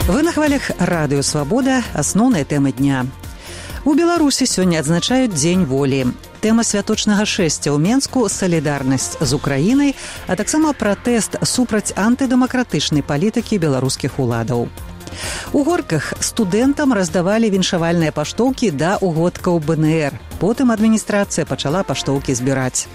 Вы на хвалях радыё «Свабода», асноўныя тэмы дня. У Беларусі сёння адзначаюць Дзень волі. Тэма святочнага шэсця ў Менску – салідарнасць з Украінай, а таксама пратэст супраць антыдэмакратычнай палітыкі беларускіх уладаў. У Горках студэнтам раздавалі віншавальныя паштоўкі да угодкаў БНР. Потым адміністрацыя пачала паштоўкі збіраць.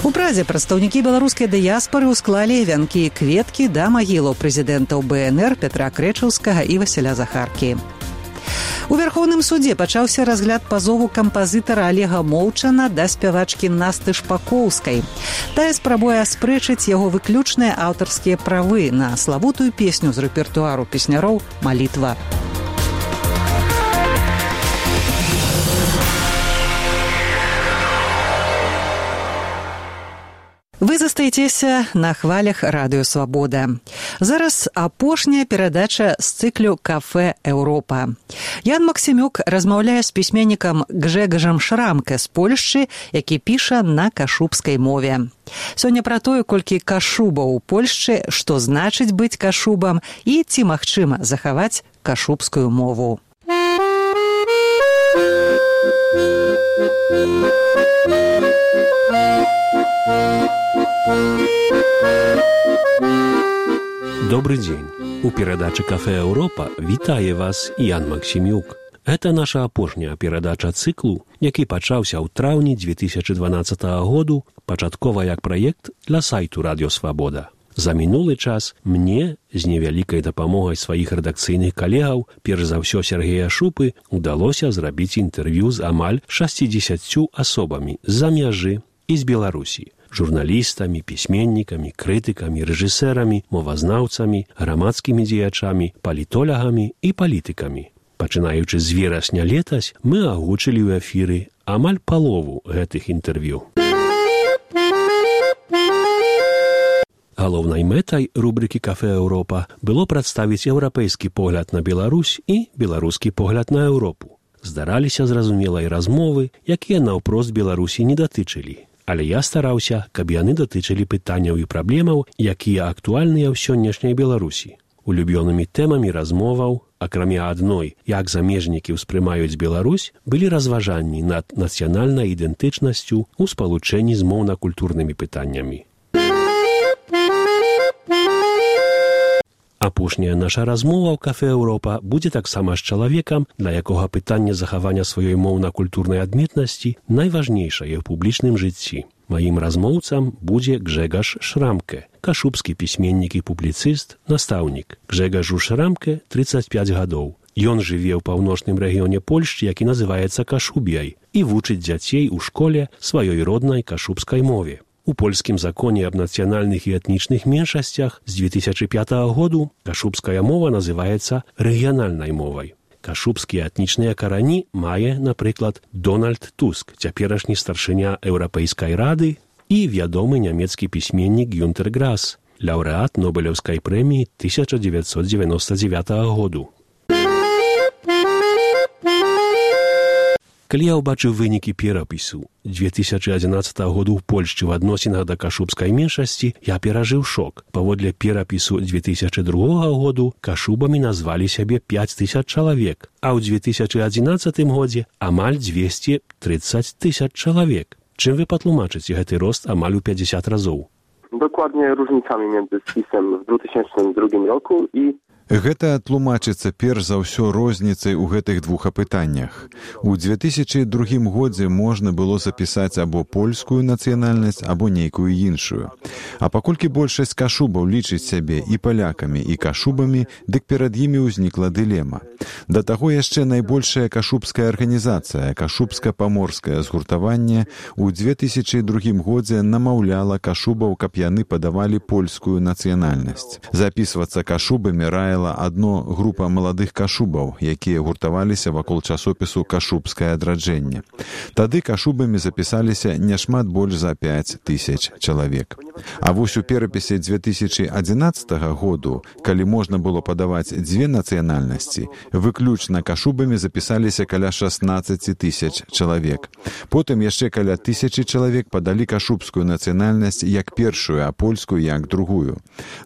У Прадзе прадстаўнікі беларускай дыяспары ўсклалі вянкі і кветкі да магілаў прэзідэнтаў БНР Петра Крэчаўскага і Васіля Захаркі. У Вярхоўным судзе пачаўся разгляд пазову кампазітара Олега Молчана да спявачкі Насты Шпакоўскай. Тая спрабуе аспрэчыць яго выключныя аўтарскія правы на славутую песню з рэпертуару песняроў «Малітва». Вы застаецеся на хвалях радыё «Свабода». Зараз апошняя перадача з цыклю «Кафэ Еўропа». Ян Максімюк размаўляе з пісьменнікам Гжэгажам Шрамке з Польшчы, які піша на кашубскай мове. Сёння пра тое, колькі кашубаў у Польшчы, што значыць быць кашубам і ці магчыма захаваць кашубскую мову. Добрый день. У перадачы «Кафе Еўропа» вітае вас Ян Максімюк. Это наша апошняя перадача цыклу, які пачаўся ў траўні 2012 году, пачаткова як праект для сайту «Радыё Свабода». За мінулы час мне, з невялікай дапамогай сваіх рэдакцыйных калегаў, перш за ўсё Сергея Шупы, удалося зрабіць інтэрв'ю з амаль 60 асобамі з-за мяжы і з Беларусі. Журналістамі, пісьменнікамі, крытыкамі, рэжысэрамі, мовазнаўцамі, грамадскімі дзеячамі, палітолагамі і палітыкамі. Пачынаючы з верасня летась, мы агучылі ў эфіры амаль палову гэтых інтэрв'ю. Галоўнай мэтай рубрыкі «Кафе Еўропа» было прадставіць еўрапейскі погляд на Беларусь і беларускі погляд на Еўропу. Здараліся зразумелай размовы, якія наўпрост Беларусі не датычылі. Але я стараўся, каб яны датычылі пытанняў і праблемаў, якія актуальныя ў сённяшняй Беларусі. Улюбёнымі тэмамі размоваў, акрамя адной, як замежнікі ўспрымаюць Беларусь, былі разважанні над нацыянальнай ідэнтычнасцю ў спалучэнні з моўна-культурнымі пытаннямі. Апошняя наша размова ў «Кафе Еўропа» будзе таксама з чалавекам, для якога пытанне захавання сваёй моўна-культурнай адметнасці найважнейшае ў публічным жыцці. Маім размоўцам будзе Гжэгаж Шрамке, кашубскі пісьменнік і публіцыст, настаўнік. Гжэгажу Шрамке 35 гадоў. Ён жыве ў паўночным рэгіёне Польшчы, які называецца Кашубіяй, і вучыць дзяцей у школе сваёй роднай кашубскай мове. У польскім законе аб нацыянальных і этнічных меншасцях з 2005 году кашубская мова называецца рэгіянальнай мовай. Кашубскія этнічныя карані мае, напрыклад, Дональд Туск, цяперашні старшыня Еўрапейскай рады, і вядомы нямецкі пісьменнік Гюнтер Грас, лаўрэат Нобелеўскай прэміі 1999 году. Калі я ўбачыў вынікі перапісу 2011 году ў Польшчы в адносінах да кашубскай меншасці, я перажыў шок. Паводле перапісу 2002 году кашубамі назвалі сябе 5000 чалавек, а ў 2011 годзе амаль 230 000 чалавек. Чым вы патлумачыце гэты рост амаль у 50 разоў? Dokładnie różnicami między spisem w 2002 roku i Гэта тлумачыцца перш за ўсё розніцай у гэтых двух апытаннях. У 2002 годзе можна было запісаць або польскую нацыянальнасць, або нейкую іншую. А паколькі большасць кашубаў лічыць сябе і палякамі, і кашубамі, дык перад імі ўзнікла дылема. Да таго яшчэ найбольшая кашубская арганізацыя, кашубска-паморскае згуртаванне, у 2002 годзе намаўляла кашубаў, каб яны падавалі польскую нацыянальнасць. Запісвацца кашубамі раіла адно група маладых кашубаў, якія гуртаваліся вакол часопісу «Кашубскае адраджэнне». Тады кашубамі запісаліся няшмат больш за 5000 чалавек. А вось у перапісе 2011 году, калі можна было падаваць дзве нацыянальнасці, выключна кашубамі запісаліся каля 16 тысяч чалавек. Потым яшчэ каля 1000 чалавек падалі кашубскую нацыянальнасць як першую, а польскую як другую.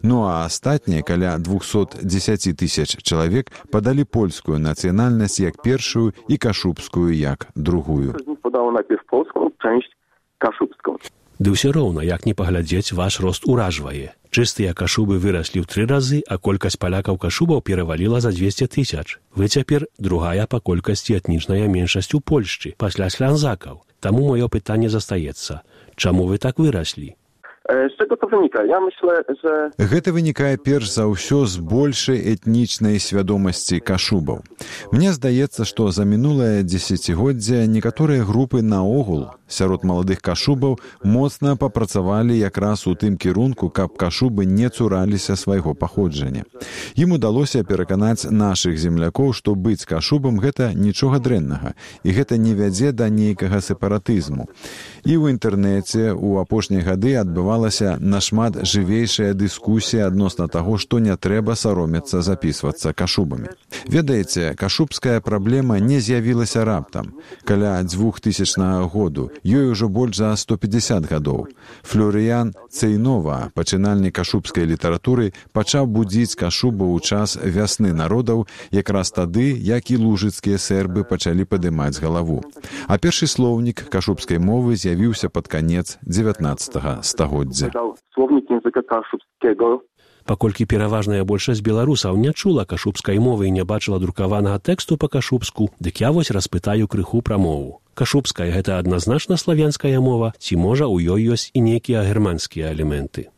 Ну а астатнія каля 210 тысяч чалавек падалі польскую нацыянальнасць як першую і кашубскую як другую. Podało najpierw polską część kaszubską. Ды ўсё роўна, як не паглядзець, ваш рост уражвае. Чыстыя кашубы выраслі ў 3 разы, а колькасць палякаў-кашубаў пераваліла за 200 тысяч. Вы цяпер другая па колькасці этнічная меншасць у Польшчы, пасля слянзакаў. Таму маё пытанне застаецца. Чаму вы так выраслі? Z czego to wynika? Ja myślę, że... Гэта вынікае перш за ўсё з большай этнічнай свядомасці кашубаў. Мне здаецца, што за мінулае дзесяцігоддзе некаторыя групы наогул сярод маладых кашубаў моцна папрацавалі якраз у тым кірунку, каб кашубы не цураліся свайго паходжання. Ім удалося пераканаць нашых землякоў, што быць кашубам гэта нічога дрэннага, і гэта не вядзе да нейкага сепаратызму. І ў інтэрнэце ў апошнія гады адбывалася нашмат жывейшая дыскусія адносна таго, што не трэба саромецца запісвацца кашубамі. Ведаеце, кашубская праблема не з'явілася раптам. Каля 2000 году, ёй ужо больш за 150 гадоў. Флорыян Цейнова, пачынальнік кашубскай літаратуры, пачаў будзіць кашубаў у час вясны народаў, якраз тады, як і лужыцкія сэрбы пачалі падымаць галаву. А першы слоўнік кашубскай мовы з'явіўся пад канец 19 стагоддзя. Słownik języka kaszubskiego. Паколькі пераважная большасць беларусаў не чула кашубскай мовы і не бачыла друкаванага тэксту па-кашубску, дык я вось распытаю крыху пра мову. Кашубская — гэта адназначна славянская мова, ці можа ў ёй ёсць і нейкія германскія элементы?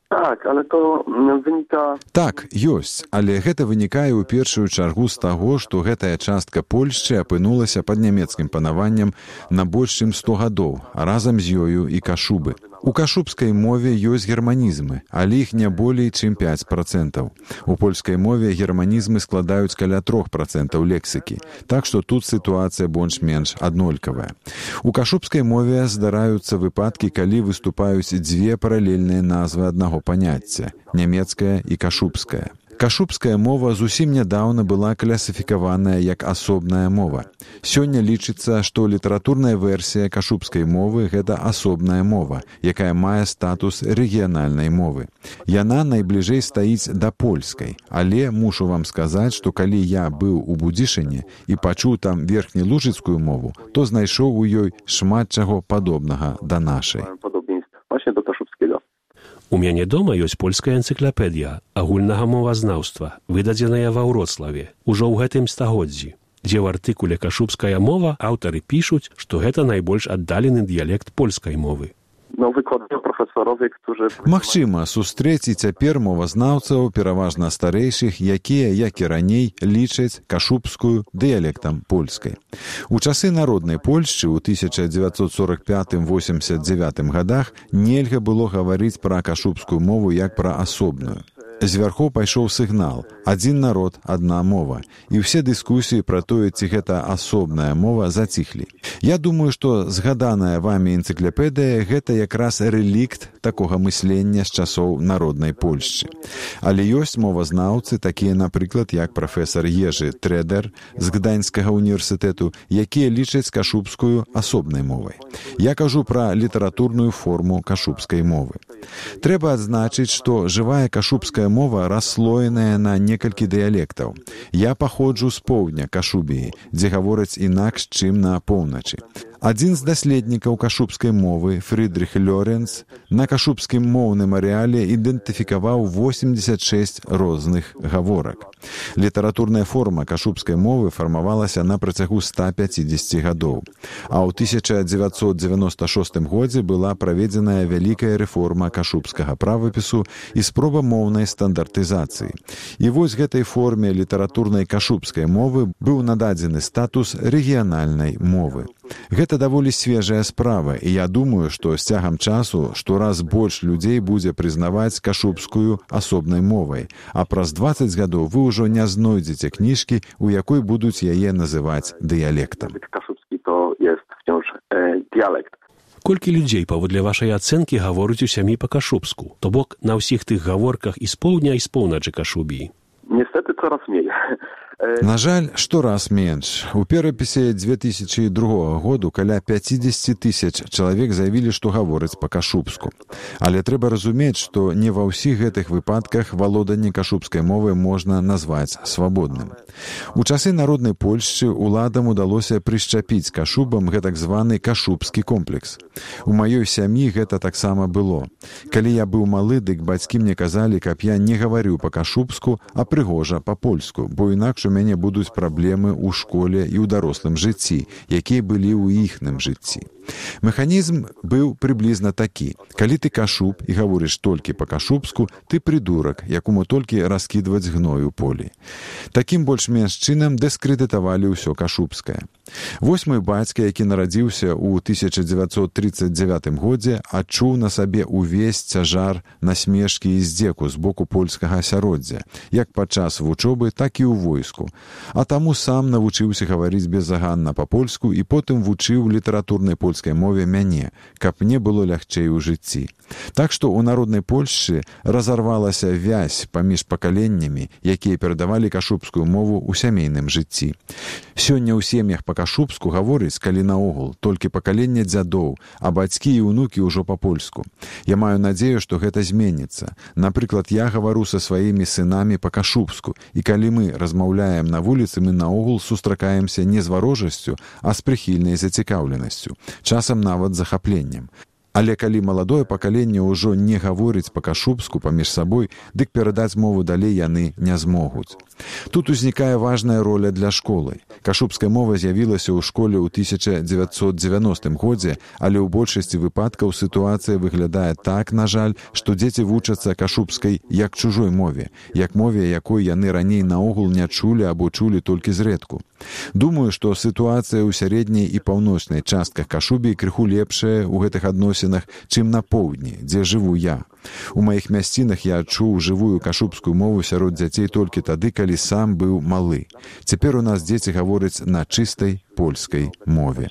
Tak, ale to wynika... Так, ёсць, але гэта вынікае ў першую чаргу з таго, што гэтая частка Польшчы апынулася пад нямецкім панаваннем на больш чым 100 гадоў, а разам з ёю і кашубы. У кашубскай мове ёсць германізмы, але іх не болей чым 5%. У польскай мове германізмы складаюць каля 3% лексікі, так што тут сітуацыя больш-менш аднолькавая. У кашубскай мове здараюцца выпадкі, калі выступаюць дзве паралельныя назвы аднаго паняцця – нямецкая і кашубская. Кашубская мова зусім нядаўна была класіфікаваная як асобная мова. Сёння лічыцца, што літаратурная версія кашубскай мовы – гэта асобная мова, якая мае статус рэгіянальнай мовы. Яна найбліжэй стаіць да польскай, але мушу вам сказаць, што калі я быў у Будзішыне і пачуў там верхнелужыцкую мову, то знайшоў у ёй шмат чаго падобнага да нашай. Właśnie do kaszubskiego. У мяне дома ёсць польская энцыклапедыя агульнага мовазнаўства, выдадзеная ва Вроцлаве, ужо ў гэтым стагоддзі, дзе ў артыкуле «Кашубская мова» аўтары пішуць, што гэта найбольш аддалены дыялект польскай мовы. No, wykładają profesorowie, którzy... Магчыма, сустрэць і цяпер мовазнаўцаў, пераважна старэйшых, якія, як і раней, лічаць кашубскую дыялектам польскай. У часы народнай Польшчы ў 1945-89 гадах нельга было гаварыць пра кашубскую мову як пра асобную. Звярхоў пайшоў сігнал «Адзін народ, адна мова», і ўсе дыскусіі пра тое, ці гэта асобная мова, заціхлі. Я думаю, што згаданая вамі энцыклапедыя – гэта якраз рэлікт такога мыслення з часоў народнай Польшчы. Але ёсць мовазнаўцы, такія, напрыклад, як прафесар Ежы Трэдер з Гданьскага універсітэту, якія лічаць кашубскую асобнай мовай. Я кажу пра літаратурную форму кашубскай мовы. Трэба адзначыць, што жывая кашубская мова расслоеная на некалькі дыялектаў. Я паходжу з поўдня Кашубіі, дзе гавораць інакш, чым на поўначы. Адзін з даследнікаў кашубскай мовы, Фрыдрых Лёренц, на кашубскім моўным арэале ідэнтыфікаваў 86 розных гаворак. Літаратурная форма кашубскай мовы фармавалася на працягу 150 гадоў. А ў 1996 годзе была праведзеная вялікая рэформа кашубскага правапісу і спроба моўнай стандартызацыі. І вось гэтай форме літаратурнай кашубскай мовы быў нададзены статус рэгіянальнай мовы. Гэта даволі свежая справа, і я думаю, што з цягам часу штораз больш людзей будзе прызнаваць кашубскую асобнай мовай, а праз 20 гадоў вы ўжо не знойдзеце кніжкі, у якой будуць яе называць дыялектам. Kaszubski to jest wciąż dialekt. Колькі людзей, паводле вашай ацэнкі, гаворыць у сям'і па-кашубску? То бок на ўсіх тых гаворках і з поўдня, і з поўначы Кашубіі? Niestety coraz mniej. На жаль, штораз менш. У перапісе 2002 году каля 50 тысяч чалавек заявілі, што гавораць па-кашубску. Але трэба разумець, што не ва ўсіх гэтых выпадках валоданне кашубскай мовы можна назваць свабодным. У часы народнай Польшчы уладам удалося прышчапіць кашубам гэтак званы кашубскі комплекс. У маёй сям'і гэта таксама было. Калі я быў малы, дык бацькі мне казалі, каб я не гаварыў па-кашубску, а прыгожа па-польску, бо інакш у мяне будуць праблемы ў школе і ў дарослым жыцці, якія былі ў іхным жыцці. Механізм быў прыблізна такі. Калі ты кашуб і гаворыш толькі па-кашубску, ты прыдурак, якому толькі раскідваць гной у полі. Такім больш-менш чынам дыскрэдытавалі ўсё кашубскае. Вось мой бацька, які нарадзіўся ў 1939 годзе, адчуў на сабе ўвесь цяжар насмешкі і здзеку з боку польскага асяроддзя, як падчас вучобы, так і ў войску. А таму сам навучыўся гаварыць безаганна па-польску і потым вучыў літаратурнай польскай мове мяне, каб мне было лягчэй у жыцці. Так што ў народнай Польшчы разарвалася вязь паміж пакаленнямі, якія перадавалі кашубскую мову ў сямейным жыцці. Сёння ў сем'ях па-кашубску гаворыць, калі наогул, толькі пакаленне дзядоў, а бацькі і ўнукі ўжо па-польску. Я маю надзею, што гэта зменіцца. Напрыклад, я гавару са сваімі сынамі па-кашубску, і калі мы размаўляем на вуліцы, мы наогул сустракаемся не з варожасцю, а з прыхільнай зацікаўленасцю, часам нават захапленнем. Але калі маладое пакаленне ўжо не гаворыць па-кашубску паміж сабой, дык перадаць мову далей яны не змогуць. Тут узнікае важная роля для школы. Кашубская мова з'явілася ў школе ў 1990 годзе, але ў большасці выпадкаў сітуацыя выглядае так, на жаль, што дзеці вучацца кашубскай як чужой мове, як мове, якой яны раней наогул не чулі або чулі толькі зрэдку. Думаю, што сітуацыя ў сярэдняй і паўночнай частках Кашубіі крыху лепшая ў гэтых адносінах, чым на поўдні, дзе жыву я. У маіх мясцінах я адчуў жывую кашубскую мову сярод дзяцей толькі тады, калі сам быў малы. Цяпер у нас дзеці гавораць на чыстай польскай мове.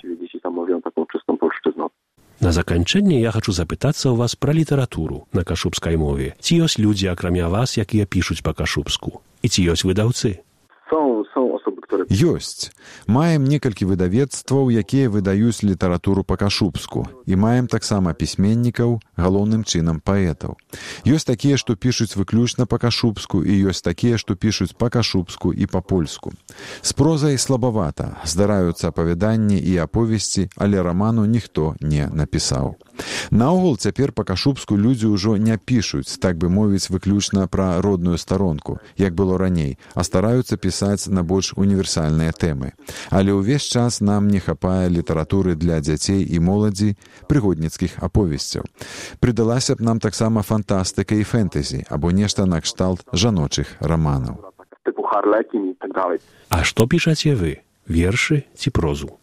На заканчэнне я хачу запытацца ў вас пра літаратуру на кашубскай мове. Ці ёсць людзі, акрамя вас, якія пішуць па-кашубску? І ці ёсць выдаўцы? Ёсць. Маем некалькі выдавецтваў, якія выдаюць літаратуру па-кашубску. І маем таксама пісьменнікаў, галоўным чынам паэтаў. Ёсць такія, што пішуць выключна па-кашубску, і ёсць такія, што пішуць па-кашубску і па-польску. З прозай слабавата. Здараюцца апавяданні і аповесці, але раману ніхто не напісаў. Наогул цяпер па-кашубску людзі ўжо не пішуць, так бы мовіць, выключна пра родную старонку, як было раней, а стараюцца пісаць на больш універсальныя тэмы. Але ўвесь час нам не хапае літаратуры для дзяцей і моладзі, прыгодніцкіх аповесцяў. Прыдалася б нам таксама фантастыка і фэнтэзі, або нешта накшталт жаночых раманаў. А што пішаце вы? Вершы ці прозу?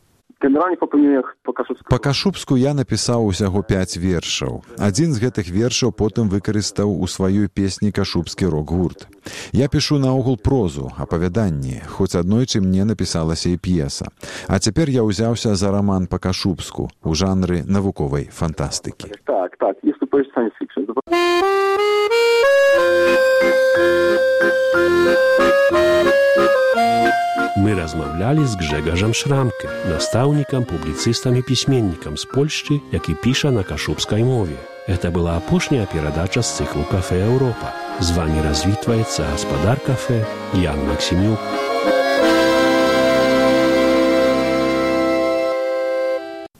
Па-кашубску я напісаў усяго 5 вершаў. Адзін з гэтых вершаў потым выкарыстаў у сваёй песні кашубскі рок-гурт. Я пішу наогул прозу, апавяданні, хоць аднойчы мне напісалася і п'еса. А цяпер я ўзяўся за раман па-кашубску ў жанры навуковай фантастыкі. Так, jest to powieść science fiction. Мы размаўлялі з Гжэгаżem Шрамке, настаўнікам, публіцыстам і пісьменнікам з Польшчы, які піша на кашубскай мове. Это была апошняя перадача з цыклу «Кафе Европа». З вами развітваецца гаспадар кафе Ян Максімюк.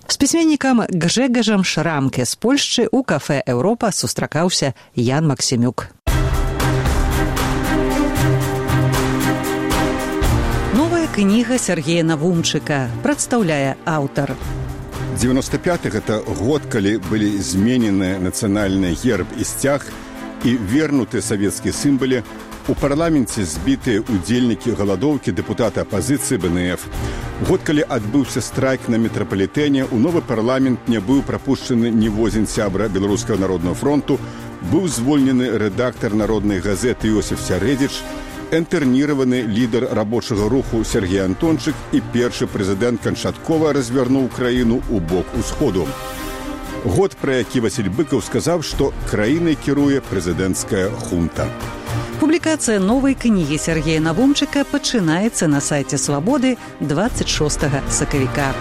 З пісьменнікам Гжэгаżem Шрамке з Польшчы ў кафе «Европа» сустракаўся Ян Максімюк. Кніга Сергея Навумчыка прадстаўляе аўтар. 95-х – это год, калі былі зменены нацыянальны герб і сцяг і вернуты савецкія сімвалы. У парламенце збітыя удзельнікі галадоўкі, дэпутаты апазіцыі БНФ. Год, калі адбыўся страйк на метрапалітэне, у новы парламент не быў прапушчаны ніводзін сябра Беларускага народнага фронту, быў звольнены рэдактар народнай газеты Іосиф Сярэдзіч, інтэрніраваны лідар рабочага руху Сергей Антончык і першы прэзідэнт канчаткова развярнуў краіну ў бок усходу. Год, пра які Васіль Быкаў сказаў, што краінай кіруе прэзідэнцкая хунта. Публікацыя новай кнігі Сергея Навумчыка пачынаецца на сайце «Свабоды» 26 сакавіка.